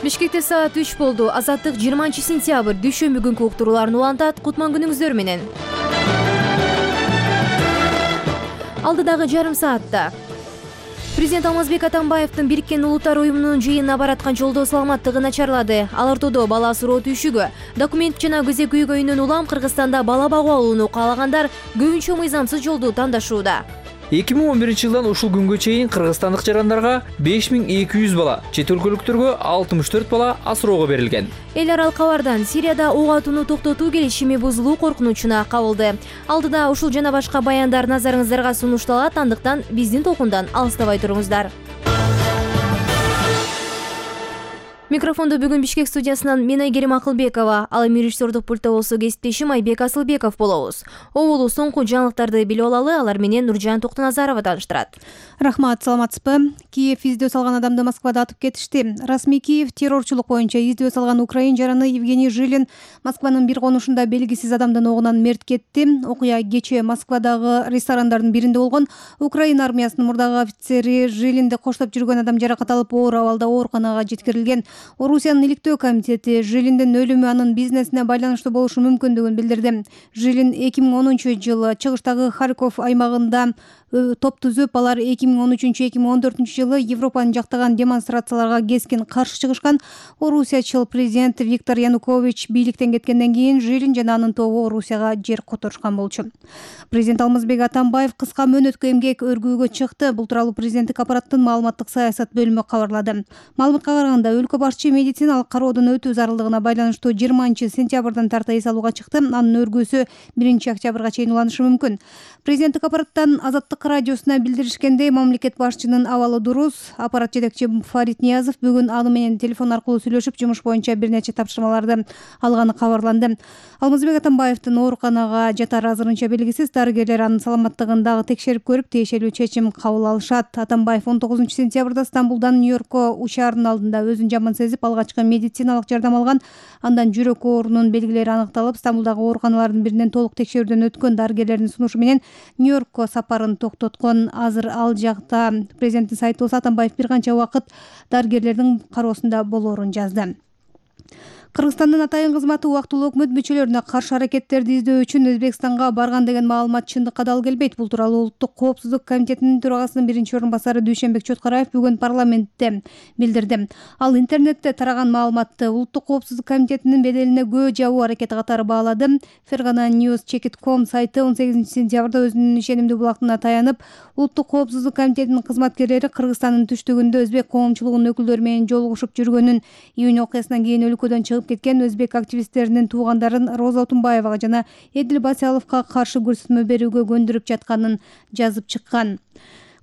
Бишкекте саат 3 болду. Азаттык 20-сентябрь дүйшөмбү күнкү уктурууларын улантат. Кутман күнүңүздөр менен. Алдыдагы жарым саатта Президент Алмазбек Атамбаевдин Бириккен Улуттар уюмунун жыйынына бараткан жолдо саламаттыгы начарлады. Ал ортодо бала суроо түйшүгү. Документ жана күзөк үйгөйүнөн улам Кыргызстанда бала багуу алууну каалагандар көбүнчө мыйзамсыз жолду тандашууда. 2011-жылдан ушул күнгө чейин кыргызстандык жарандарга 5200 бала, чет өлкөлүктөргө 64 бала асыроого берилген. Эл аралык кабардан Сирияда ок атууну токтотуу келишими бузулуу коркунучуна кабылды. Алдыда ушул жана башка баяндар назарыңыздарга сунушталат, андыктан биздин толкундан алыстабай туруңуздар. Микрофонду бүгүн Бишкек студиясынан мен Айгерим Акылбекова, ал эми режиссердук пультта болсо кесиптешим Айбек Асылбеков болобуз. Оболу соңку жаңылыктарды билип алалы, алар менен Нуржан Токтоназарова таныштырат. Рахмат, саламатсызбы? Киев издөө салган адамды Москвада атып кетишти. Расмий Киев террорчулук боюнча издөө салган украин жараны Евгений Жилин Москванын бир конушунда белгисиз адамдын огунан мерт кетти. Окуя кечээ Москвадагы ресторандардын биринде болгон. Украин армиясынын мурдагы офицери Жилинди коштоп жүргөн адам жаракат алып оор абалда ооруканага жеткирилген. Орусиянын иликтөө комитети Жилиндин өлүмү анын бизнесине байланыштуу болушу мүмкүндүгүн билдирди. Жилин 2010-жылы чыгыштагы Харьков аймагында топ түзүп, алар 2013-2014-жылы Европаны жактаган демонстрацияларга кескин каршы чыгышкан. Орусиячыл президент Виктор Янукович бийликтен кеткенден кийин Жилин жана анын тобу Орусияга жер которушкан болчу. Президент Алмазбек Атамбаев кыска мөөнөткө эмгек өргүүгө чыкты. Бул тууралуу президенттик аппараттын маалыматтык саясат бөлүмү кабарлады. Маалыматка караганда өлкө башчы медициналык кароодон өтүү зарылдыгына байланыштуу 20-сентябрдан тарта эс алууга чыкты. Анын өргүүсү 1-октябрга чейин уланышы мүмкүн. Президенттик аппараттан Азаттык радиосуна билдиришкендей, мамлекет башчынын абалы дурус. Аппарат жетекчи Фарид Ниязов бүгүн аны менен телефон аркылуу сүйлөшүп, жумуш боюнча бир нече тапшырмаларды алганы кабарланды. Алмазбек Атамбаевдин ооруканага жатары азырынча белгисиз. Дарыгерлер анын саламаттыгын дагы текшерип көрүп, тиешелүү чечим кабыл алышат. Атамбаев 19-сентябрда Стамбулдан Нью-Йоркко учаардын алдында өзүн жаман сезип, алгачкы медициналык жардам алган. Андан жүрөк оорунун белгилери аныкталып, Стамбулдагы ооруканалардын биринен толук текшерүүдөн өткөн. Дарыгерлердин сунушу менен Нью-Йоркко сапарын токтоткон. Азыр ал жакта президенттин сайты болсо Атамбаев бир канча убакыт дарыгерлердин кароосунда болоорун жазды. Кыргызстандын атайын кызматы убактылуу өкмөт мүчөлөрүнө каршы аракеттерди издөө үчүн Өзбекстанга барган деген маалымат чындыкка дал келбейт. Бул тууралуу Улуттук коопсуздук комитетинин төрагасынын биринчи орун басары Дүйшөнбек Чоткараев бүгүн парламентте билдирди. Ал интернетте тараган маалыматты Улуттук коопсуздук комитетинин беделине көө жабуу аракети катары баалады. Fergana News Check.com сайты 18-сентябрда өзүнүн ишенимдүү булактарына таянып, Улуттук коопсуздук комитетинин кызматкерлери Кыргызстандын түштүгүндө өзбек коомчулугунун өкүлдөрү менен жолугушуп жүргөнүн, июнь окуясынан кийин өлкөдөн чыгып кеткен өзбек активисттеринин туугандарын Роза Отунбаевага жана Эдил Басаловго каршы көрсөтмө берүүгө көндүрүп жатканын жазып чыккан.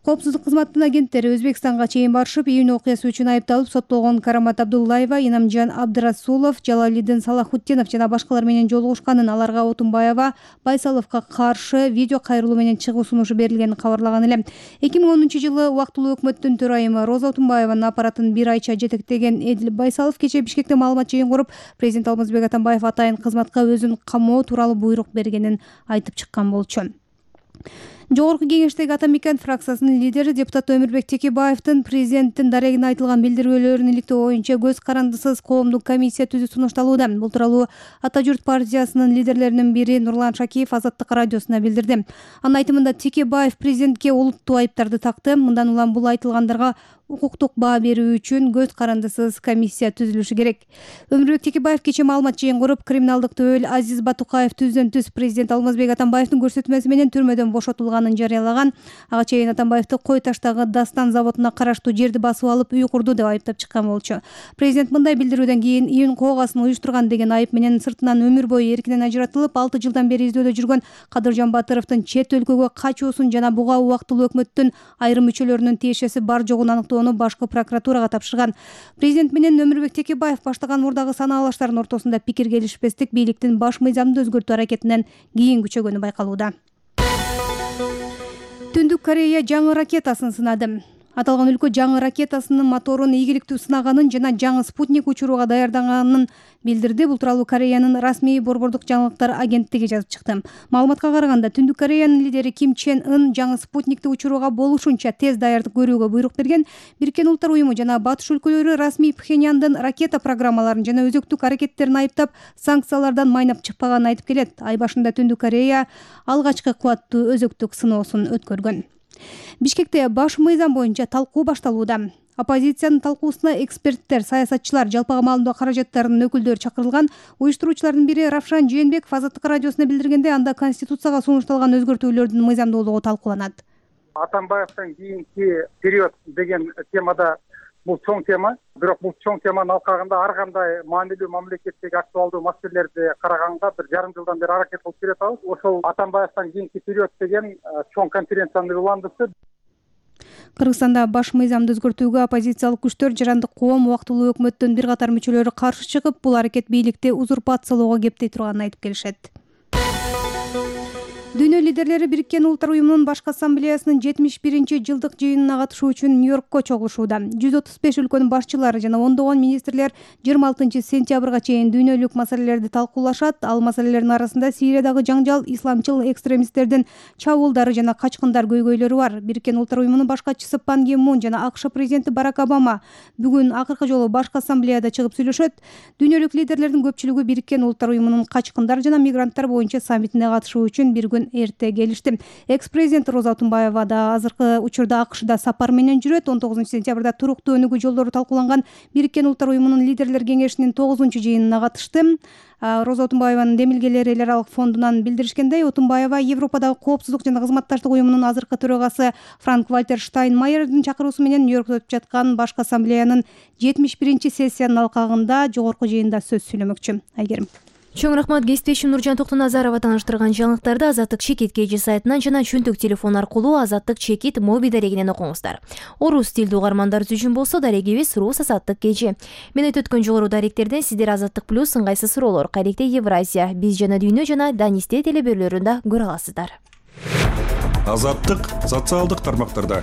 Коопсуздук кызматтын агенттери Өзбекстанга чейин барышып, июнь окуясы үчүн айыпталып соттолгон Карамат Абдуллаева, Инамжан Абдырасулов, Жалалидин Салахутдинов жана башкалар менен жолугушканын, аларга Отунбаева, Байсаловго каршы видео кайрылуу менен чыгуу сунушу берилгенин кабарлаган эле. 2010-жылы убактылуу өкмөттүн төрайымы Роза Отунбаеванын аппаратын бир айча жетектеген Эдил Байсалов кечээ Бишкекте маалымат жыйын куруп, президент Алмазбек Атамбаев атайын кызматка өзүн камоо тууралуу буйрук бергенин айтып чыккан болчу. Жогорку кеңештеги Атамекен фракциясынын лидери депутат Өмүрбек Текебаевдин президенттин дарегине айтылган билдирүүлөрүн иликтөө боюнча көз карандысыз коомдук комиссия түзүү сунушталууда. Бул тууралуу Ата журт партиясынын лидерлеринин бири Нурлан Шакиев Азаттык радиосуна билдирди. Анын айтымында Текебаев президентке олуттуу айыптарды такты. Мындан улам бул айтылгандарга укуктук баа берүү үчүн көз карандысыз комиссия түзүлүшү керек. Өмүрбек Текебаев кечээ маалымат жыйын куруп, криминалдык төбөл Азиз Батукаев түздөн түз президент Алмазбек Атамбаевдин көрсөтмөсү менен түрмөдөн бошотулганын жарыялаган. Ага чейин Атамбаевди Кой таштагы Дастан заводуна караштуу жерди басып алып үй курду деп айыптап чыккан болчу. Президент мындай билдирүүдөн кийин июнь коогасын уюштурган деген айып менен сыртынан өмүр бою эркинен ажыратылып, 6 жылдан бери издөөдө жүргөн Кадыржан Батыровдун чет өлкөгө качуусун жана буга убактылуу өкмөттүн айрым мүчөлөрүнүн тиешеси бар жогун аныктоо башкы прокуратурага тапшырган. Президент менен Өмүрбек Текебаев баштаган мурдагы санаалаштардын ортосунда пикир келишпестик бийликтин баш мыйзамды өзгөртүү аракетинен кийин күчөгөнү байкалууда. Түндүк Корея жаңы ракетасын сынады. Аталган өлкө жаңы ракетасынын моторун ийгиликтүү сынаганын жана жаңы спутник учурууга даярданганын билдирди. Бул тууралуу Кореянын расмий борбордук жаңылыктар агенттиги жазып чыкты. Маалыматка караганда, Түндүк Кореянын лидери Ким Чен Ын жаңы спутникти учурууга болушунча тез даярдык көрүүгө буйрук берген. Бириккен Улуттар уюму жана батыш өлкөлөрү расмий Пхеньяндын ракета программаларын жана өзөктүк аракеттерин айыптап, санкциялардан майнап чыкпаганын айтып келет. Ай башында Түндүк Корея алгачкы кубаттуу өзөктүк сыноосун өткөргөн. Бишкекте баш мыйзам боюнча талкуу башталууда. Оппозициянын талкуусуна эксперттер, саясатчылар, жалпыга маалымдоо каражаттарынын өкүлдөрү чакырылган. Уюштуруучулардын бири Равшан Жээнбеков Азаттык радиосуна билдиргенде, анда Конституцияга сунушталган өзгөртүүлөрдүн мыйзамдуулугу талкууланат. Атамбаевдин кийинки период деген темада бул чоң тема. Бирок бул чоң теманын алкагында ар кандай маанилүү мамлекеттеги актуалдуу маселелерди караганга бир жарым жылдан бери аракет кылып келатабыз. Ошол Атамбаевдин кийинки период деген чоң конференцияны уландырды. Кыргызстанда баш мыйзамды өзгөртүүгө оппозициялык күчтөр, жарандык коом, убактылуу өкмөттүн бир катар мүчөлөрү каршы чыгып, бул аракет бийликти узурпациялоого кептей турганын айтып келишет. Дүйнө лидерлери Бириккен Улуттар уюмунун башкы ассамблеясынын 71-жылдык жыйынына катышуу үчүн Нью-Йоркко чогулушууда. 135 өлкөнүн башчылары жана ондогон министрлер 26-сентябрга чейин дүйнөлүк маселелерди талкуулашат. Ал маселелердин арасында Сириядагы жаңжал, исламчыл экстремисттердин чабуулдары жана качкындар көйгөйлөрү бар. Бириккен Улуттар уюмунун баш катчысы Пан Ги Мун жана АКШ президенти Барак Обама бүгүн акыркы жолу башкы ассамблеяда чыгып сүйлөшөт. Дүйнөлүк лидерлердин көпчүлүгү Бириккен Улуттар уюмунун качкындар жана мигранттар боюнча саммитине катышуу үчүн bir күн эрте келишти. Экс-президент Роза Атунбаева да азыркы учурда АКШда сапар менен жүрөт. 19-сентябрда туруктуу өнүгүү жолдору талкууланган Бириккен Улуттар уюмунун лидерлер кеңешинин 9-жыйынына катышты. Роза Атунбаеванын демилгелери эл аралык фондунан билдиришкендей, Атунбаева Европадагы коопсуздук жана кызматташтык уюмунун азыркы төрагасы Франк-Вальтер Штайнмайердин чакыруусу менен Нью-Йоркто өтүп жаткан башкы ассамблеянын 71-сессиянын алкагында жогорку жыйында сөз сүйлөмөкчү. Айгерим. Чоң рахмат. Кесиптешим Нуржан Токтоназарова тааныштырган жаңылыктарды Азаттык Чекит KG сайтынан жана чөнтөк телефон аркылуу Азаттык Чекит моби дарегинен окуңуздар. Орус тилдүү угармандарыбыз үчүн болсо дарегибиз Рус Азаттык KG. Мен өткөн жогору даректерден сиздер Азаттык плюс ыңгайсыз суроолор, кайректе Евразия, биз жана дүйнө жана Данисте телебөрлөрүндө көрө аласыздар. Азаттык социалдык тармактарда.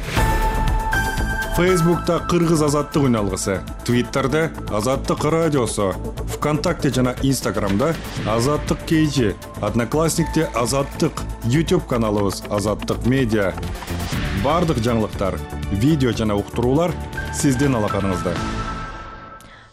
Фейсбукта Кыргыз Азаттык үналгысы, Твиттерде Азаттык радиосу, ВКонтакте жана Инстаграмда Азаттык KG, Одноклассникте Азаттык, YouTube каналыбыз Азаттык медиа. Бардык жаңылыктар, видео жана уктуруулар сиздин алаканыңызда.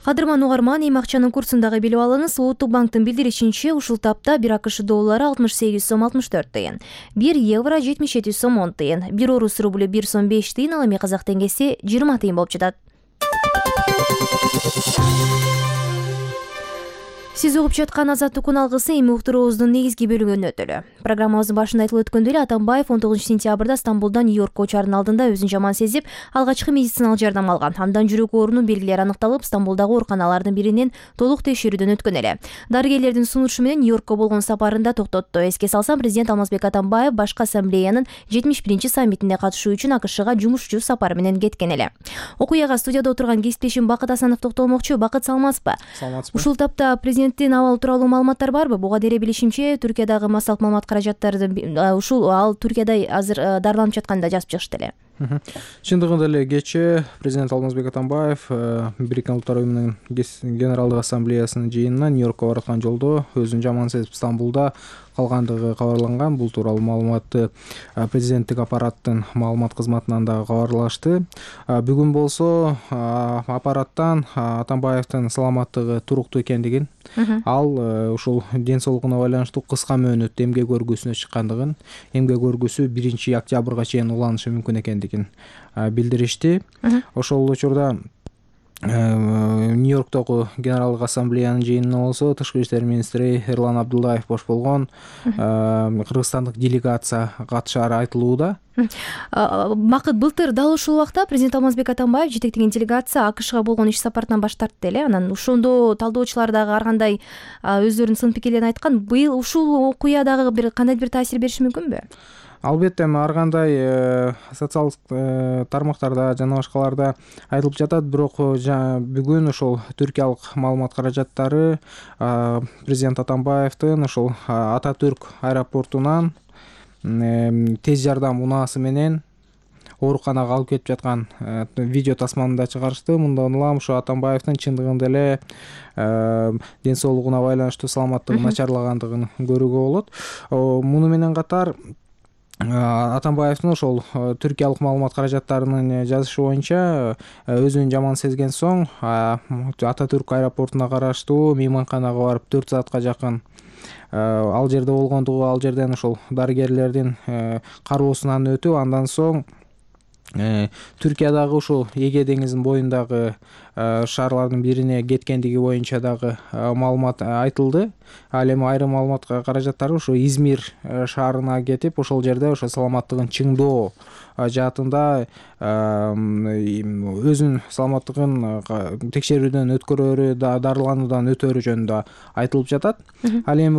Кадырман угарман, эми акчанын курсун дагы билип алыңыз. Улуттук банктын билдиришинче, ушул тапта 1 АКШ доллары 68 сом 64 тыйын, 1 евро 77 сом 10 тыйын, 1 орус рублю 1 сом 5 тыйын, ал эми казак теңгеси 20 тыйын болуп жатат. Сиз угуп жаткан Азаттык үналгысы эми уктуруубуздун негизги бөлүгүнө өтөлү. Программабыздын башында айтылып өткөндөй эле, Атамбаев 19-сентябрда Стамбулдан Нью-Йоркко учаардын алдында өзүн жаман сезип, алгачкы медициналык жардам алган. Андан жүрөк оорунун белгилери аныкталып, Стамбулдагы ооруканалардын биринен толук текшерүүдөн өткөн эле. Дарыгерлердин сунушу менен Нью-Йоркко болгон сапарында токтотту. Эске салсам, президент Алмазбек Атамбаев башкы ассамблеянын 71-саммитине катышуу үчүн АКШга жумушчу сапар менен кеткен эле. Окуяга студияда отурган кесиптешим Бакыт Асанов токтолмокчу. Бакыт, саламатсызбы? Саламатсызбы. Ушул тапта президенттин абалы тууралуу маалыматтар барбы? Буга дейре билишимче, Түркиядагы массалык маалымат каражаттары ушул Түркияда азыр дарыланып жатканда жазып чыгышты эле. Чындыгында эле кечээ президент Алмазбек Атамбаев Бириккен Улуттар уюмунун генералдык ассамблеясынын жыйынына Нью-Йоркко бараткан жолдо өзүн жаман сезип Стамбулда калгандыгы кабарланган. Бул тууралуу маалыматты президенттик аппараттын маалымат кызматынан дагы кабарлашты. Бүгүн болсо аппараттан Атамбаевдин саламаттыгы туруктуу экендигин, ал ушул ден соолугуна байланыштуу кыска мөөнөттө эмгек өргүсүнө чыккандыгын, эмгек өргүсү 1 октябрга чейин уланышы мүмкүн экендигин билдиришти. Ошол учурда Нью-Йорктогу генералдык ассамблеянын жыйынына болсо тышкы иштер министри Эрлан Абдуллаев бош болгон кыргызстандык делегация катышары айтылууда. Бакыт, былтыр дал ушул убакта президент Алмазбек Атамбаев жетектеген делегация АКШга болгон иш сапартынан баш тартты эле. Анан ошондо талдоочулар дагы ар кандай өздөрүнүн сын пикирлерин айткан. Быйыл ушул окуя дагы кандай бир таасир бериши мүмкүнбү? Албетте, ар кандай социалдык тармактарда жана башкаларда айтылып жатат, бирок бүгүн ошол түркиялык маалымат каражаттары президент Атамбаевдин ошол Ататүрк аэропортунан тез жардам унаасы менен ооруканага алып кетип жаткан видео тасманы да чыгарышты. Мындан улам ушу Атамбаевдин чындыгында эле ден соолугуна байланыштуу саламаттыгы начарлагандыгын көрүүгө болот. Муну менен катар Атамбаевдин ошол түркиялык маалымат каражаттарынын жазышы боюнча өзүн жаман сезген соң Ататүрк аэропортуна караштуу мейманканага барып 4 саатка жакын ал жерде болгондугу, ал жерден ошол дарыгерлердин кароосунан өтүп, андан соң Түркиядагы ушул Эге деңизинин боюндагы шаарлардын бирине кеткендиги боюнча дагы маалымат айтылды. Ал эми айрым маалымат каражаттары ушу Измир шаарына кетип, ошол жерде ошо саламаттыгын чыңдоо жаатында өзүнүн саламаттыгын текшерүүдөн өткөрөөрү, дарылануудан өтөөрү жөнүндө айтылып жатат. Ал эми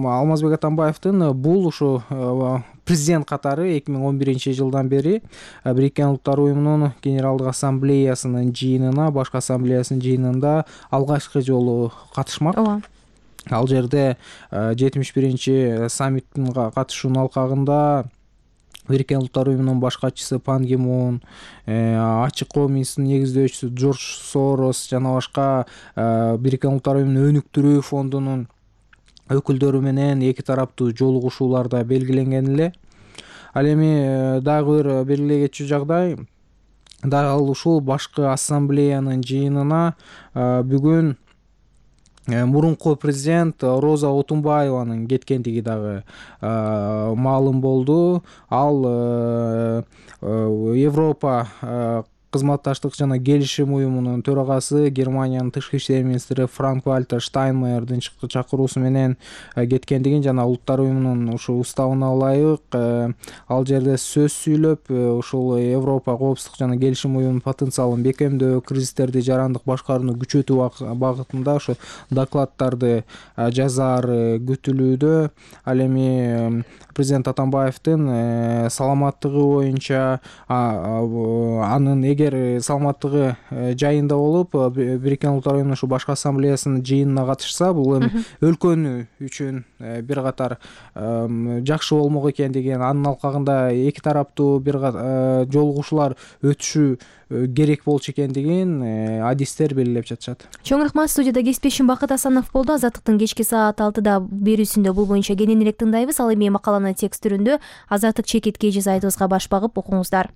Алмазбек Атамбаевдин бул ушу президент катары 2011-жылдан бери Бириккен Улуттар Уюмунун Генералдык Ассамблеясынын жыйынына, башкы ассамблеясынын жыйынында алгачкы жолу катышмак. Ал жерде 71-чи саммиттин катышуунун алкагында Бириккен Улуттар Уюмунун баш катчысы Пан Ги Мун, Ачык Коом институтунун негиздөөчүсү Джордж Сорос жана башка Бириккен Улуттар Уюмунун өнүктүрүү фондунун өкүлдөрү менен эки тараптуу жолугушуулар да белгиленген эле. Ал эми дагы бир белгилей кетчү жагдай, дал ушул башкы ассамблеянын жыйынына бүгүн мурунку президент Роза Отунбаеванын кеткендиги дагы маалым болду. Ал Европа кызматташтык жана келишим уюмунун төрагасы, Германиянын тышкы иштер министри Франк Вальтер Штайнмайердин чакыруусу менен кеткендигин жана Улуттар уюмунун ушу уставына ылайык ал жерде сөз сүйлөп, ушул Европа коопсуздук жана келишим уюмунун потенциалын бекемдөө, кризистерди жарандык башкарууну күчөтүү багытында ушу докладдарды жазаар күтүлүүдө. Ал эми президент Атамбаевдин саламаттыгы боюнча анын эгер саламаттыгы жайында болуп, Бириккен Улуттар Уюмунун ушу башкы ассамблеясынын жыйынына катышса, бул эми өлкөнү үчүн бир катар жакшы болмок экен деген, анын алкагында эки тараптуу бир жолугушуулар өтүшү керек болчу экендигин адистер белгилеп жатышат. Чоң рахмат. Студияда кесиптешим Бакыт Асанов болду. Азаттыктын кечки саат 6-да берүүсүндө бул боюнча кененирээк тыңдайбыз. Ал эми макаланы текст түрүндө Азаттык чекиткей сайтыбызга баш багып окуңуздар.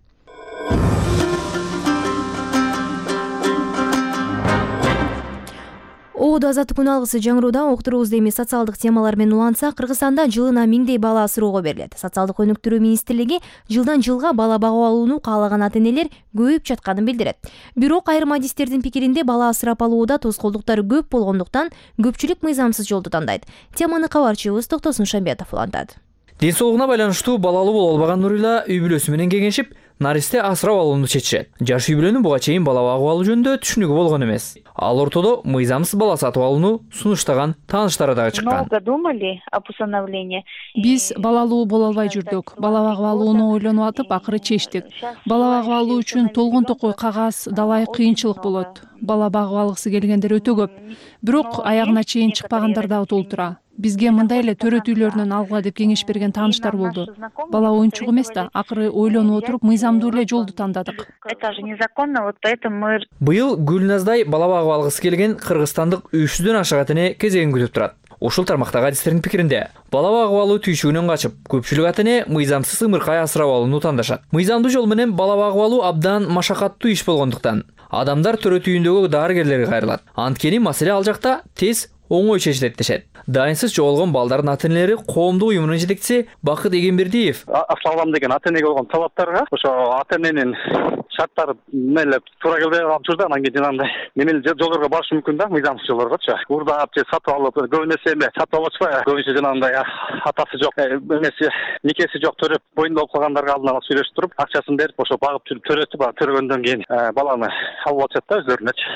Оодо азаттык күн алгысы жаңырууда уктуруубузду эми социалдык темалар менен улантсак, Кыргызстанда жылына 1000 бала асырууга берилет. Социалдык өнүктүрүү министрлиги жылдан жылга бала багып алууну каалаган ата-энелер көбөйүп жатканын билдирет. Бирок айрым адистердин пикиринде бала асырап алууда тоскоолдуктар көп болгондуктан көпчүлүк мыйзамсыз жолду тандайт. Теманы кабарчыбыз Токтосун Шамбетов улантат. Ден соолугуна байланыштуу балалуу боло албаган Нурила үй бүлөсү менен кеңешип, наристе асырап алууну чечишет. Жаш үй бүлөнүн буга чейин бала багып алуу жөнүндө түшүнүгү болгон эмес. Ал ортодо мыйзамсыз бала сатып алууну сунуштаган тааныштары дагы чыккан. Биз балалуу боло албай жүрдүк. Бала багып алууну ойлонуп атып, акыры чечтик. Бала багып алуу үчүн толгон токой кагаз, далай кыйынчылык болот. Бала багып алгысы келгендер өтө көп. Бирок аягына чейин чыкпагандар дагы толтура. Бизге мындай эле төрөт үйлөрүнөн алгыла деп кеңеш берген тааныштар болду. Бала оюнчук эмес да, акыры ойлонуп отуруп мыйзамдуу эле жолду тандадык. Быйыл Гүлназдай бала багып алгысы келген кыргызстандык 300дөн ашык ата-эне кезегин күтүп турат. Ушул тармактагы адистердин пикиринде, бала багып алуу түйшүгүнөн качып, көпчүлүк ата-эне мыйзамсыз ымыркай асырап алууну тандашат. Мыйзамдуу жол менен бала багып алуу абдан машакаттуу иш болгондуктан адамдар төрөт үйүндөгү дарыгерлерге кайрылат. Анткени маселе ал жакта тез оңой чечилет дешет. Дайынсыз жоголгон балдардын ата-энелери коомдук уюмунун жетекчиси Бакыт Эгембердиев асыралам деген ата-энеге болгон талаптарга ошо ата-эненин шарттары меле туура келбей калып жүрдү. Анан кийин жанагындай немели жолдорго барышы мүмкүн да, мыйзамсыз жолдоргочу. Урдап же сатып алып, көбүнесе эми сатып алып атышпайбы? Көбүнчө жанагындай атасы жок, эмеси никеси жок төрөп боюнда болуп калгандарга алдын ала сүйлөшүп туруп, акчасын берип, ошо багып жүрүп төрөтүп, төрөгөндөн кийин баланы алып атышат да өздөрүнөчү.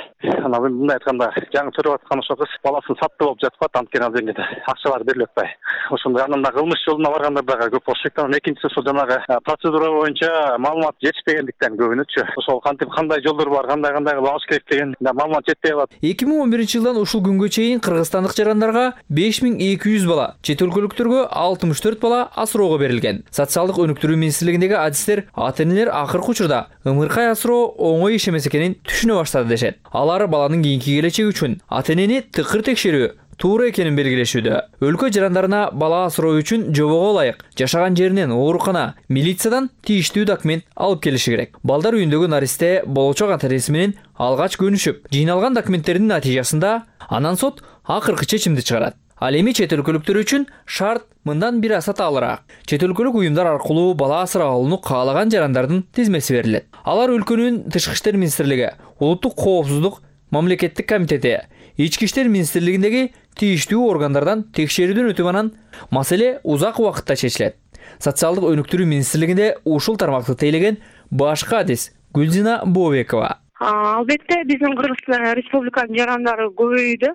Анан мындай айтканда, жаңы төрөп аткан ошо кыз баласын сатты болуп жатып атат, анткени ал жерде акчалар берилип атпай. Ошондой анан да кылмыш жолуна баргандар дагы көп болушу керек. Анан экинчиси ошол жанагы процедура боюнча маалымат жетишпегендиктен көбүнөчү болчу. Ошол кантип кандай жолдор бар, кандай кылып алыш керек деген маалымат жетпей калат. 2011-жылдан ушул күнгө чейин кыргызстандык жарандарга 5200 бала, чет өлкөлүктөргө 64 бала асыроого берилген. Социалдык өнүктүрүү министрлигиндеги адистер ата-энелер акыркы учурда ымыркай асыроо оңой иш эмес экенин түшүнө баштады дешет. Алар баланын кийинки келечеги үчүн ата-энени тыкыр текшерүү туура экенин белгилешүүдө. Өлкө жарандарына бала асыроо үчүн жобого ылайык жашаган жеринен оорукана, милициядан тийиштүү документ алып келиши керек. Балдар үйүндөгү наристе болочок ата-энеси менен алгач көнүшүп, жыйналган документтердин натыйжасында анан сот акыркы чечимди чыгарат. Ал эми чет өлкөлүктөр үчүн шарт мындан бир аса таалыраак. Чет өлкөлүк уюмдар аркылуу бала асырап алууну каалаган жарандардын тизмеси берилет. Алар өлкөнүн Тышкы иштер министрлиги, улуттук коопсуздук мамлекеттик комитети, Ички иштер министрлигиндеги тийиштүү органдардан текшерүүдөн өтүп анан маселе узак убакытта чечилет. Социалдык өнүктүрүү министрлигинде ушул тармакты тейлеген башкы адис Гүлзина Бобекова. Албетте биздин Кыргыз Республиканын жарандары көбөйдү.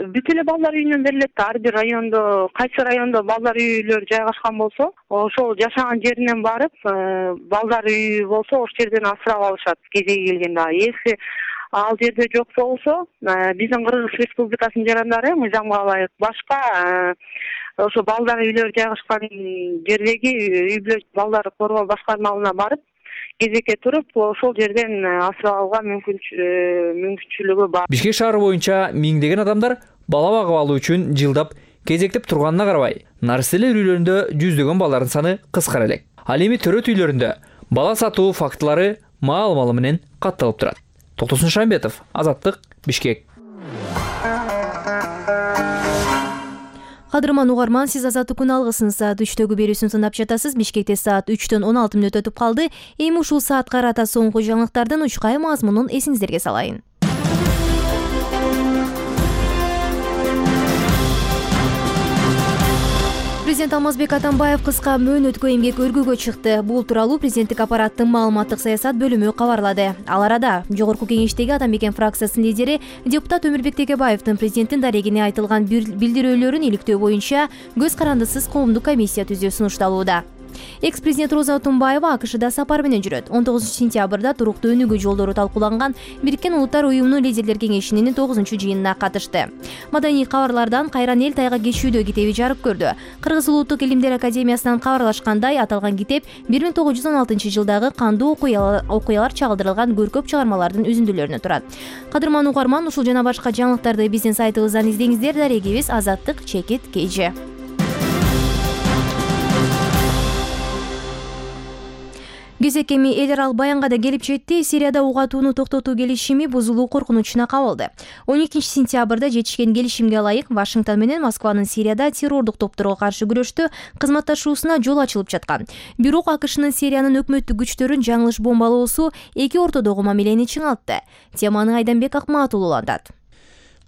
Бүт эле балдар үйүнөн берилет. Ар бир райондо, кайсы райондо балдар үйлөрү жайгашкан болсо, ошол жашаган жеринен барып, балдар үйү болсо, ошол жерден асырап алышат кезеги келгенде. Если ал жерде жок болсо, биздин Кыргыз Республикасынын жарандары мыйзамга ылайык башка ошо балдар үйлөрү жайгашкан жердеги үй бүлө балдарды коргоо башкармалыгына барып, кезекке туруп, ошол жерден асырап алууга мүмкүнчүлүгү бар. Бишкек шаары боюнча миңдеген адамдар бала багып алуу үчүн жылдап кезектеп турганына карабай, наристелер үйлөрүндө жүздөгөн балдардын саны кыскара элек. Ал эми төрөт үйлөрүндө бала сатуу фактылары маал-маалы менен катталып турат. Токтосун Шамбетов, Азаттык, Бишкек. Кадырман угарман, сиз Азаттыктын алгысын саат 3-төгү берүүсүн тыңдап жатасыз. Бишкекте саат 3-16 мүнөт өтүп калды. Эми ушул саатка карата соңку жаңылыктардын учкай мазмунун эсиңиздерге салайын. Президент Алмазбек Атамбаев кыска мөөнөткө эмгек өргүүгө чыкты. Бул тууралуу президенттик аппараттын маалыматтык саясат бөлүмү кабарлады. Ал арада Жогорку Кеңештеги Атамекен фракциясынын лидери депутат Өмүрбек Текебаевдин президенттин дарегине айтылган билдирүүлөрүн иликтөө боюнча көз карандысыз коомдук комиссия түзүү сунушталууда. Экс-президент Роза Отунбаева АКШда сапар менен жүрөт. 19-сентябрда туруктуу өнүгүү жолдору талкууланган Бириккен Улуттар уюмунун лидерлер кеңешинин 9-жыйынына катышты. Маданий кабарлардан кайран эл тайга кечүүдө китеби жарык көрдү. Кыргыз Улуттук илимдер академиясынан кабарлашкандай, аталган китеп 1916-жылдагы кандуу окуялар чагылдырылган көркөп чыгармалардын үзүндүлөрүнөн турат. Кадырман угарман, ушул жана башка жаңылыктарды биздин сайтыбыздан издеңиздер. Дарегибиз Азаттык чекит KG. Кезек эми эл аралык баянга да келип жетти. Сирияда ук атууну токтотуу келишими бузулуу коркунучуна кабылды. 12-сентябрда жетишкен келишимге ылайык Вашингтон менен Москванын Сирияда террордук топторго каршы күрөштө кызматташуусуна жол ачылып жаткан. Бирок АКШнын Сириянын өкмөттүк күчтөрүн жаңылыш бомбалоосу эки ортодогу мамилени чыңалтты. Теманы Айданбек Акматул улантат.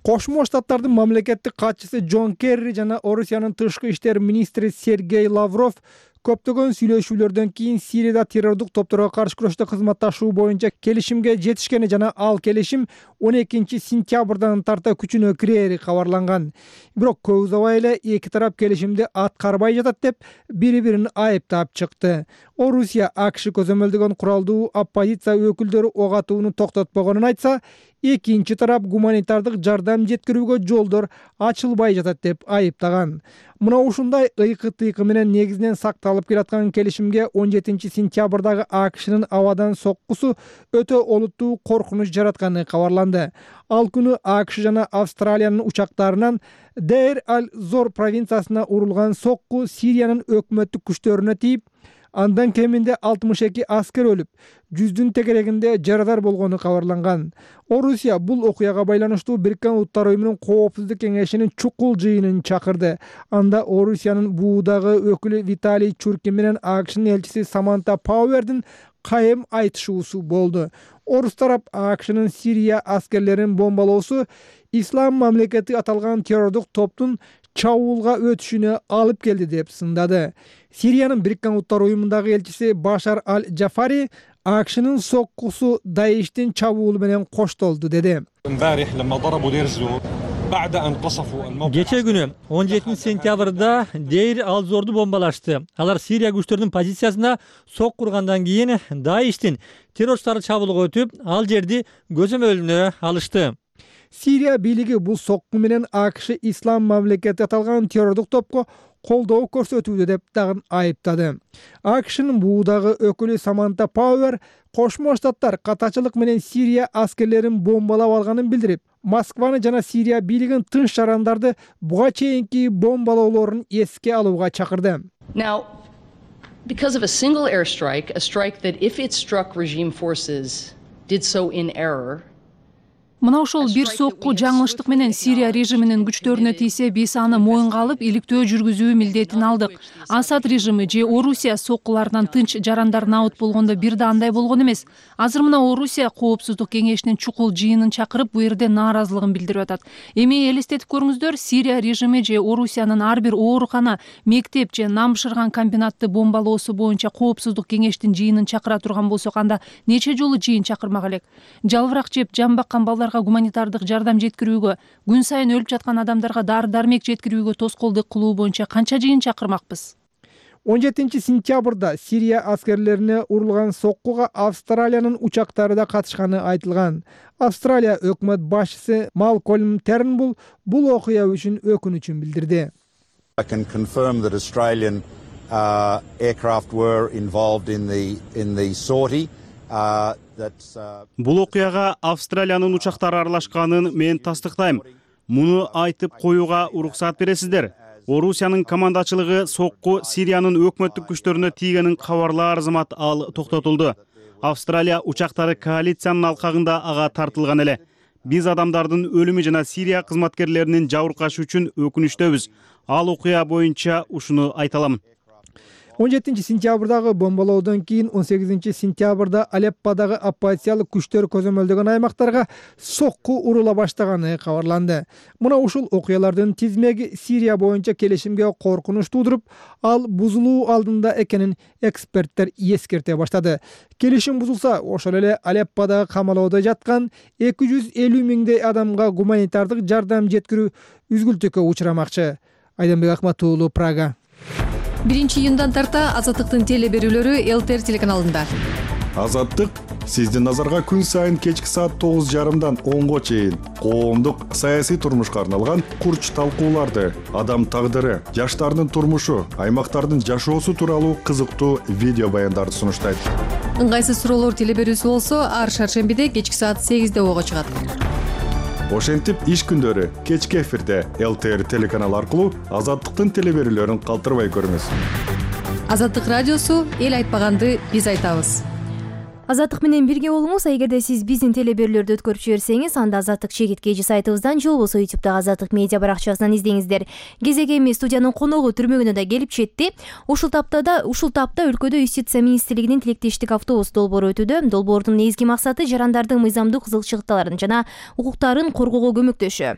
Кошмо Штаттардын мамлекеттик катчысы Джон Керри жана Орусиянын тышкы иштер министри Сергей Лавров көптөгөн сүйлөшүүлөрдөн кийин Сирияда террордук топторго каршы күрөштө кызматташуу боюнча келишимге жетишкени жана ал келишим 12-сентябрдан тарта күчүнө кирери кабарланган. Бирок көп узабай эле эки тарап келишимди аткарбай жатат деп бири-бирин айыптап чыкты. Орусия АКШ көзөмөлдөгөн куралдуу оппозиция өкүлдөрү ок атууну токтотпогонун айтса, экинчи тарап гуманитардык жардам жеткирүүгө жолдор ачылбай жатат деп айыптаган. Мына ушундай ыйкы-тыйкы менен негизинен сакталып келаткан келишимге 17-сентябрдагы АКШнын абадан соккусу өтө олуттуу коркунуч жаратканы кабарланды. Ал күнү АКШ жана Австралиянын учактарынан Дейр-аль-Зор провинциясына урулган сокку Сириянын өкмөттүк күчтөрүнө тийип, андан кеминде 62 аскер өлүп, 100дүн тегерегинде жарадар болгону кабарланган. Орусия бул окуяга байланыштуу Бириккен Улуттар уюмунун коопсуздук кеңешинин чукул жыйынын чакырды. Анда Орусиянын буудагы өкүлү Виталий Чуркин менен АКШнын элчиси Саманта Пауэрдин кайым айтышуусу болду. Орус тарап АКШнын Сирия аскерлерин бомбалоосу Ислам мамлекети аталган террордук топтун чабуулга өтүшүнө алып келди деп сындады. Сириянын Бириккен Улуттар уюмундагы элчиси Башар аль-Джафари АКШнын соккусу Даиштин чабуулу менен коштолду деди. Кече күнү 17 сентябрда Дейр Ал-Зорду бомбалашты. Алар Сирия күчтөрүнүн позициясына сок кургандан кийин Даиштин террорчулары чабуулга өтүп, ал жерди көзөмөлүнө алышты. Сирия бийлиги бул сокку менен АКШ ислам мамлекети аталган террордук топко колдоо көрсөтүүдө деп дагы айыптады. АКШнын буудагы өкүлү Саманта Пауэр Кошмо Штаттар катачылык менен Сирия аскерлерин бомбалап алганын билдирип, Москваны жана Сирия бийлигин тынч жарандарды буга чейинки бомбалоолорун эске алууга чакырды. Now, because of a single airstrike, a strike that if it struck regime forces did so in error, Мына ошол бир сокку жаңылыштык менен Сирия режиминин күчтөрүнө тийсе, биз аны моюнга алып, иликтөө жүргүзүү милдетин алдык. Асад режими же Орусия соккуларынан тынч жарандар набыт болгондо бир да андай болгон эмес. Азыр мына Орусия Коопсуздук кеңешинин чукул жыйынын чакырып, бу жерде нааразылыгын билдирип атат. Эми элестетип көрүңүздөр, Сирия режими же Орусиянын ар бир оорукана, мектеп же нам бышырган комбинатты бомбалоосу боюнча Коопсуздук кеңештин жыйынын чакыра турган болсок, анда нече жолу жыйын чакырмак элек? Жалбырак жеп, жан баккан балдар гуманитардык жардам жеткирүүгө, күн сайын өлүп жаткан адамдарга дары-дармек жеткирүүгө тоскоолдук кылуу боюнча канча жыйын чакырмакпыз? 17 сентябрда Сирия аскерлерине урулган соккуга Австралиянын учактары да катышканы айтылган. Австралия өкмөт башчысы Малкольм Тернбул бул окуя үчүн өкүнүчүн билдирди. I can confirm that Australian aircraft were involved in the sortie. Бул окуяга Австралиянын учактары аралашканын мен тастыктайм. Муну айтып коюуга уруксат бересиздер. Орусиянын командачылыгы сокку Сириянын өкмөттүк күчтөрүнө тийгенин кабарлаар зымат ал токтотулду. Австралия учактары коалициянын алкагында ага тартылган эле. Биз адамдардын өлүмү жана Сирия кызматкерлеринин жабыркашы үчүн өкүнүчтөбүз. Ал окуя боюнча ушуну айта алам. 17 сентябрдагы бомбалоодон кийин 18 сентябрда Алепподагы оппозициялык күчтөр көзөмөлдөгөн аймактарга сокку урула баштаганы кабарланды. Мына ушул окуялардын тизмеги Сирия боюнча келишимге коркунуч туудуруп, ал бузулуу алдында экенин эксперттер эскерте баштады. Келишим бузулса, ошол эле Алепподагы камалоодо жаткан 250 миңдей адамга гуманитардык жардам жеткирүү үзгүлтүккө учурамакчы. Айданбек Акматуулу, Прага. 1-июндан тарта Азаттыктын теле берүүлөрү ЛТР телеканалында. Азаттык сиздин назарга күн сайын кечки саат 9:30дан 10го чейин коомдук саясий турмушка арналган курч талкууларды, адам тагдыры, жаштардын турмушу, аймактардын жашоосу тууралуу кызыктуу видео баяндарды сунуштайт. Ыңгайсыз суроолор теле берүүсү болсо, ар шаршембиде кечки саат 8де ого чыгат. Ошентип иш күндөрү кечки эфирде ЛТР телеканалы аркылуу Азаттыктын теле берүүлөрүн калтырбай көрүңүз. Азаттык радиосу эл айтпаганды биз айтабыз. Азаттык менен бирге болуңуз. Эгерде сиз биздин теле берүүлөрдү өткөрүп жиберсеңиз, анда Азаттык чегит KG сайтыбыздан же болбосо YouTube'дагы Азаттык медиа баракчасынан издеңиздер. Кезеги эми студиянын коногу түрмөгүнө да келип жетти. Ушул тапта өлкөдө Юстиция министрлигинин тилектештик автобус долбоору өтүүдө. Долбоордун негизги максаты жарандардын мыйзамдык кызыкчылыктарын жана укуктарын коргоого көмөктөшүү.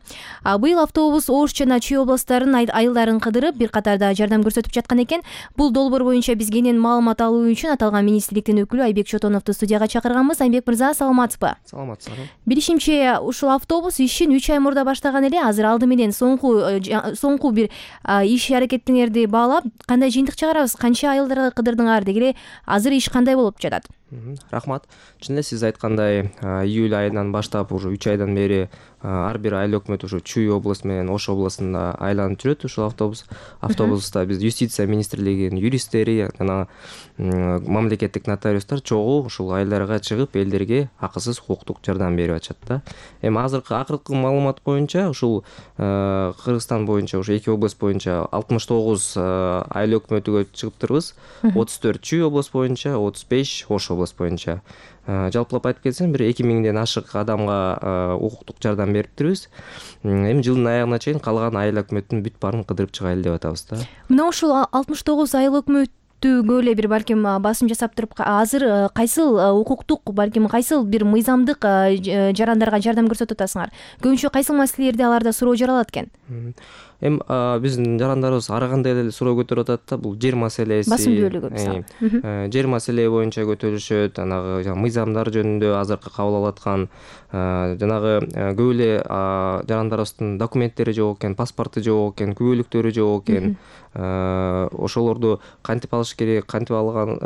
Быйыл автобус Ош жана Чүй областтарынын айылдарын кыдырып, бир катарда жардам көрсөтүп жаткан экен. Бул долбоор боюнча биз кенен маалымат алуу үчүн аталган министрликтин өкүлү Айбек Чотоновду студияга чакырганбыз. Айбек мырза, саламатсызбы? Саламатсызбы. Билишимче, ушул автобус ишин 3 ай мурда баштаган эле. Азыр алды менен соңку бир иш аракетиңерди баалап, кандай жыйынтык чыгарабыз? Канча айылдарга кыдырдыңар дегиле, азыр иш кандай болуп жатат? Рахмат. Чын эле сиз айткандай, июль айынан баштап уже 3 айдан бери ар бир айыл өкмөтү ушу Чүй областы менен Ош областында айланып жүрөт ушул автобус. Автобуста биз Юстиция министрлигинин юристтери жана мамлекеттик нотариустар чогуу ушул айылдарга чыгып, элдерге акысыз укуктук жардам берип атышат да. Эми акыркы маалымат боюнча ушул Кыргызстан боюнча ушу 2 область боюнча 69 айыл өкмөтүгө чыгыптырбыз. 34 Чүй область боюнча, 35 Ош область боюнча. Жалпылап айтып кетсем, бир 2000ден ашык адамга укуктук жардам бериптирбиз. Эми жылдын аягына чейин калган айыл өкмөттүн бүт баарын кыдырып чыгайлы деп атабыз да. Мына ушул 69 айыл өкмөттүгө эле бир балким басым жасап туруп, азыр кайсыл укуктук, балким кайсыл бир мыйзамдык жарандарга жардам көрсөтүп атасыңар? Көбүнчө кайсыл маселелерди аларда суроо жаралат экен? Эми биздин жарандарыбыз ар кандай эле суроо көтөрүп атат да, бул жер маселеси, басым бөлүгү мисалы жер маселе боюнча көтөрүшөт, анагы мыйзамдар жөнүндө азыркы кабыл алып аткан жанагы көп эле жарандарыбыздын документтери жок экен, паспорту жок экен, күбөлүктөрү жок экен. Ошолорду кантип алыш керек, кантип алган,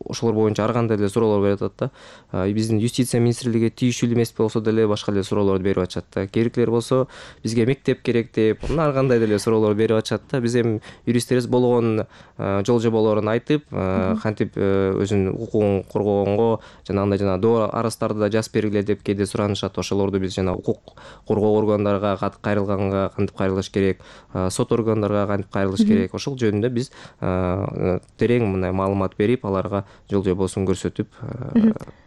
ошолор боюнча ар кандай эле суроолор берип атат да. Биздин юстиция министрлиги тийиштүү эмес болсо деле башка эле суроолорду берип атышат да. Керектилер болсо бизге мектеп керек деп, ар кандай деле суроолор берип атышат да. Биз эми юристтерибиз болгон жол жоболорун айтып, кантип өзүнүн укугун коргогонго, жанагындай доо арыздарды да жазып бергиле деп кээде суранышат. Ошолорду биз жана укук коргоо органдарга кайрылганга кантип кайрылыш керек, сот органдарга кантип кайрылыш керек, ошол жөнүндө биз терең мындай маалымат берип, аларга жол жобосун көрсөтүп.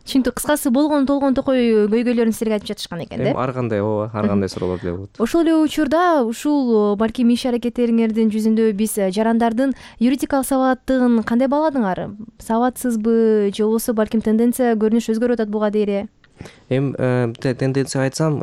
Түшүнүктүү. Кыскасы болгон токой көйгөйлөрүн силерге айтып жатышкан экен да? Ар кандай, ооба, ар кандай суроолор деле болот. Ошол эле учурда ушул балким иш аракеттериңердин жүзүндө биз жарандардын юридикалык сабаттыгын кандай бааладыңар? Сабатсызбы же болбосо балким тенденция көрүнүш өзгөрүп атат буга дейри? Эми тенденция айтсам,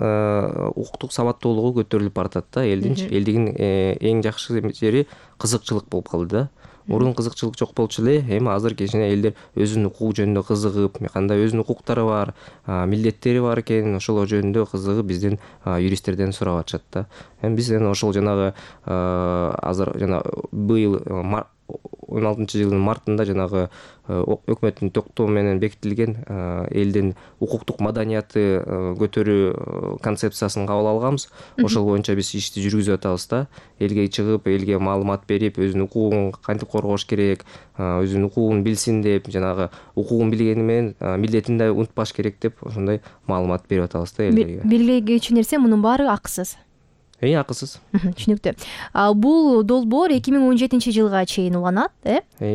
укуктук сабаттуулугу көтөрүлүп баратат да. Элдигин эң жакшы жери кызыкчылык болуп калды да. Мурун кызыкчылык жок болчу эле, эми азыр кичине элдер өзүнүн укугу жөнүндө кызыгып, кандай өзүнүн укуктары бар, милдеттери бар экен, ошолор жөнүндө кызыгып биздин юристтерден сурап атышат да. Эми биз ошол жанагы азыр быйыл 16-жылдын мартында жанагы өкмөттүн токтому менен бекитилген элдин укуктук маданияты көтөрүү концепциясын кабыл алганбыз. Ошол боюнча биз ишти жүргүзүп атабыз да. Элге чыгып, элге маалымат берип, өзүнүн укугун кантип коргош керек, өзүнүн укугун билсин деп, жанагы укугун билгени менен милдетин да унутпаш керек деп, ошондой маалымат берип атабыз да элдерге. Белгилегичи нерсе мунун баары акысыз. Акысыз. Түшүнүктүү. Бул долбоор 2017-жылга чейин уланат,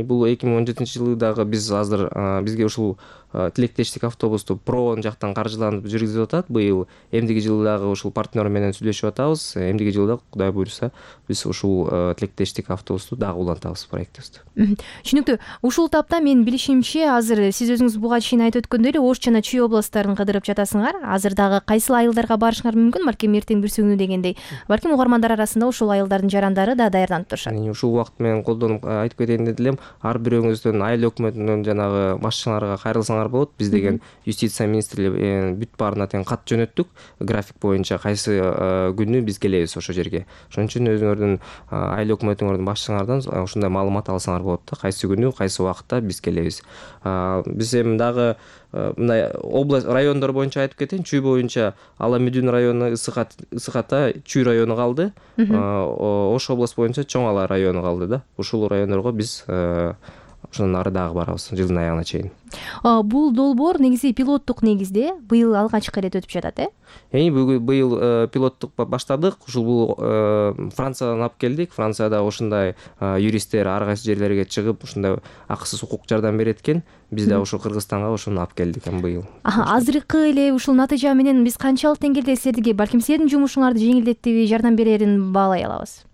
Бул 2017-жылы дагы биз азыр бизге ушул тилектештик автобусту ПРО жактан каржыланып жүргүзүп атат. Быйыл эмдиги жылы дагы ушул партнер менен сүйлөшүп атабыз. Эмдиги жылда Кудай буйруса биз ушул тилектештик автобусту дагы улантабыз проектибизди. Түшүнүктүү. Ушул тапта менин билишимче азыр сиз өзүңүз буга чейин айтып өткөндөй эле Ош жана Чүй областтарын кыдырып жатасыңар. Азыр дагы кайсыл айылдарга барышыңар мүмкүн? Балким эртең бүрсүгүнү дегендей. Балким угармандар арасында ушул айылдардын жарандары да даярданып турушат. Ушул убакыт менен колдонуп айтып кетейин дедим. Ар бирөөңүздөн айыл өкмөтүнөн жанагы башчыларга кайрылсаңар болот. Биз деген юстиция министрлиги бүт баарына тең кат жөнөттүк. График боюнча кайсы күнү биз келебиз ошол жерге. Ошон үчүн өзүңөрдүн айыл өкмөтүңөрдүн башчыларынан ушундай маалымат алсаңар болот да. Кайсы күнү, кайсы убакытта биз келебиз. Биз эми дагы мындай область райондор боюнча айтып кетейин. Чүй боюнча Ала Мүдүн району, Ысыката, Чүй району калды. Ош область боюнча Чоң Ала району калды да. Ушул райондорго биз ошондон ары дагы барабыз жылдын аягына чейин. Бул долбоор негизи пилоттук негизде быйыл алгачкы ирет өтүп жатат, Быйыл пилоттук баштадык. Ушул бул Франциядан алып келдик. Францияда ушундай юристтер ар кайсы жерлерге чыгып, ушундай акысыз укук жардам берет экен. Биз да ушул Кыргызстанга ошону алып келдик быйыл. Азыркы эле ушул натыйжа менен биз канчалык деңгээлде силерге, балким силердин жумушуңарды жеңилдетиби, жардам берерин баалай алабыз?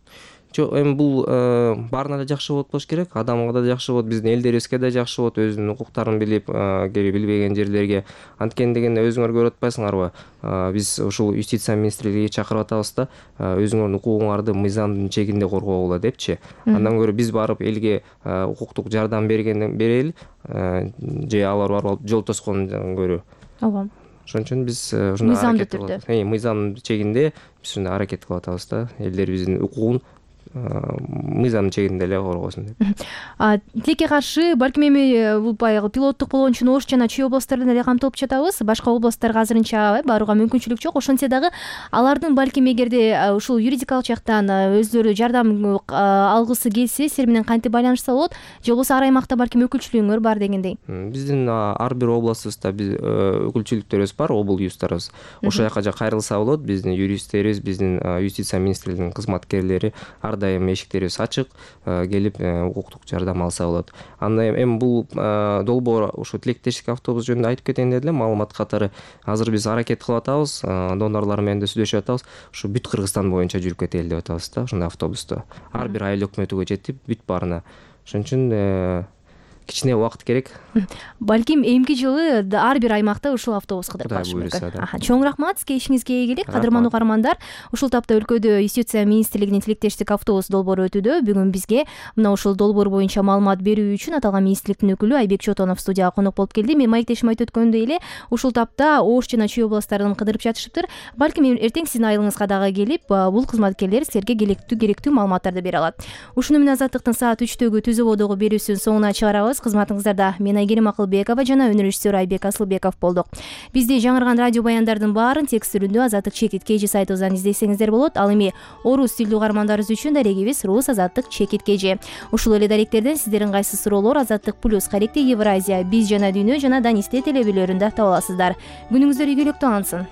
Жок, эми бул баарына да жакшы болот болуш керек. Адамга да жакшы болот, биздин элдерибизге да жакшы болот, өзүнүн укуктарын билип, билбеген жерлерге. Анткени дегенде өзүңөр көрүп атпайсыңарбы? Биз ушул юстиция министрлигине чакырып атабыз да, өзүңөрдүн укугуңарды мыйзамдын чегинде коргогула депчи. Андан көрө биз барып элге укуктук жардам берели, же алар барып жол тоскондон көрө. Ооба. Ошон үчүн биз ушундай аракет кылып атабыз. Мыйзамдын чегинде биз ушундай аракет кылып атабыз да, элдерибиздин укугун мыйзамдын чегинде эле коргосун деп. Тилекке каршы балким эми бул баягы пилоттук болгон үчүн Ош жана Чүй областтарынан эле камтылып жатабыз. Башка областтарга азырынча барууга мүмкүнчүлүк жок. Ошентсе дагы алардын балким эгерде ушул юридикалык жактан өздөрү жардам алгысы келсе, силер менен кантип байланышса болот? Же болбосо ар аймакта балким өкүлчүлүгүңөр бар дегендей? Биздин ар бир областыбызда өкүлчүлүктөрүбүз бар, обл юздарыбыз. Ошол жака кайрылса болот. Биздин юристтерибиз, биздин юстиция министрлигинин кызматкерлери ар дайым эшиктерибиз ачык, келип укуктук жардам алса болот. Анда эми бул долбоор ошо тилектештик автобус жөнүндө айтып кетейин деди эле. Маалымат катары азыр биз аракет кылып атабыз, донорлор менен да сүйлөшүп атабыз. Ушу бүт Кыргызстан боюнча жүрүп кетели деп атабыз да, ошондой автобусту. Ар бир айыл өкмөтүгө жетип, бүт баарына. Ошон үчүн кичине убакыт керек. Балким эмки жылы ар бир аймакта ушул автобус кыдырып Кудай барышы буйруса, мүмкүн. Чоң рахмат, сизге ишиңизге ийгилик. Кадырман угармандар, ушул тапта өлкөдө Юстиция министрлигинин тилектештик автобус долбоору өтүүдө. Бүгүн бизге мына ушул долбоор боюнча маалымат берүү үчүн аталган министрликтин өкүлү Айбек Чотонов студияга конок болуп келди. Мен маектешим айтып өткөндөй эле ушул тапта Ош жана Чүй областтарын кыдырып жатышыптыр. Балким эртең сиздин айылыңызга дагы келип, бул кызматкерлер силерге керектүү маалыматтарды бере алат. Ушуну менен Азаттыктын саат 3-төгү түз ободогу берүүсүнүн соңуна чыгарабыз. Кызматыңыздарда мен Айгерим Акылбекова жана өнөр режиссеру Айбек Асылбеков болдук. Бизди жаңырган радио баяндардын баарын текст түрүндө Азаттык чекит KG сайтыбыздан издесеңиздер болот. Ал эми орус тилдүү угармандарыбыз үчүн дарегибиз Рус Азаттык чекит KG. Ушул эле даректерден сиздердин кайсы суроолор Азаттык плюс Каректи Евразия, Биз жана Дүйнө жана Данисте телебелөрүндө таба аласыздар. Күнүңүздөр ийгиликтүү алынсын.